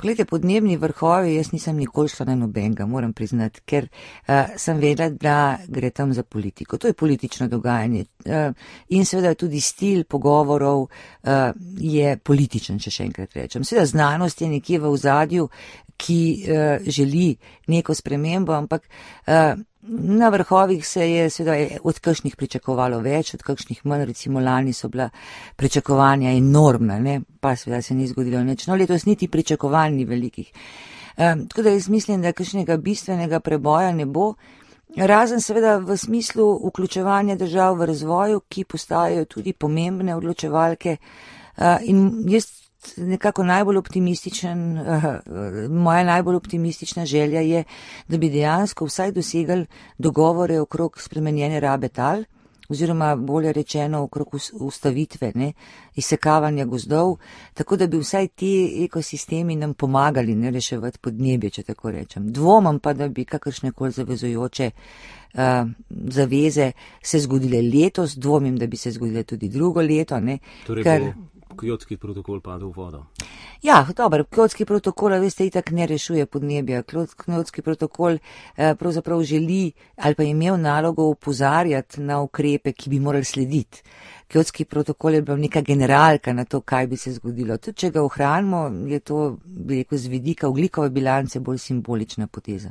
Glede, podnebni vrhovi, jaz nisem nikoli šla na nobenega, moram priznati, ker sem vedela, da gre tam za politiko. To je politično dogajanje in seveda tudi stil pogovorov je političen, če še enkrat rečem. Seveda znanost je nekje v ozadju, ki želi neko spremembo, ampak na vrhovih se je seveda od kakšnih pričakovalo več, od kakšnih manj, recimo lani so bila pričakovanja enormna, ne? Pa seveda se ni zgodilo nič. No, letos niti pričakovanj ni velikih. Tako da jaz mislim, da kakšnega bistvenega preboja ne bo, razen seveda v smislu vključevanja držav v razvoju, ki postajajo tudi pomembne odločevalke in jaz nekako moja najbolj optimistična želja je, da bi dejansko vsaj dosegali dogovore okrog spremenjene rabe tal, oziroma bolje rečeno okrog ustavitve, izsekavanja gozdov, tako da bi vsaj ti ekosistemi nam pomagali reševati podnebje, če tako rečem. Dvomam pa, da bi kakršnekoli zavezujoče zaveze se zgodile letos, dvomim, da bi se zgodile tudi drugo leto. Torej Kjotski protokol padel v vodo. Ja, dobro, Kjotski protokol, veste, itak ne rešuje podnebja. Kjotski protokol pravzaprav želi ali pa je imel nalogo opozarjati na ukrepe, ki bi morali slediti. Kjotski protokol je bil neka generalka na to, kaj bi se zgodilo. Tudi če ga ohranimo, je to, bi rekel, z vidika ogljikove bilance bolj simbolična poteza.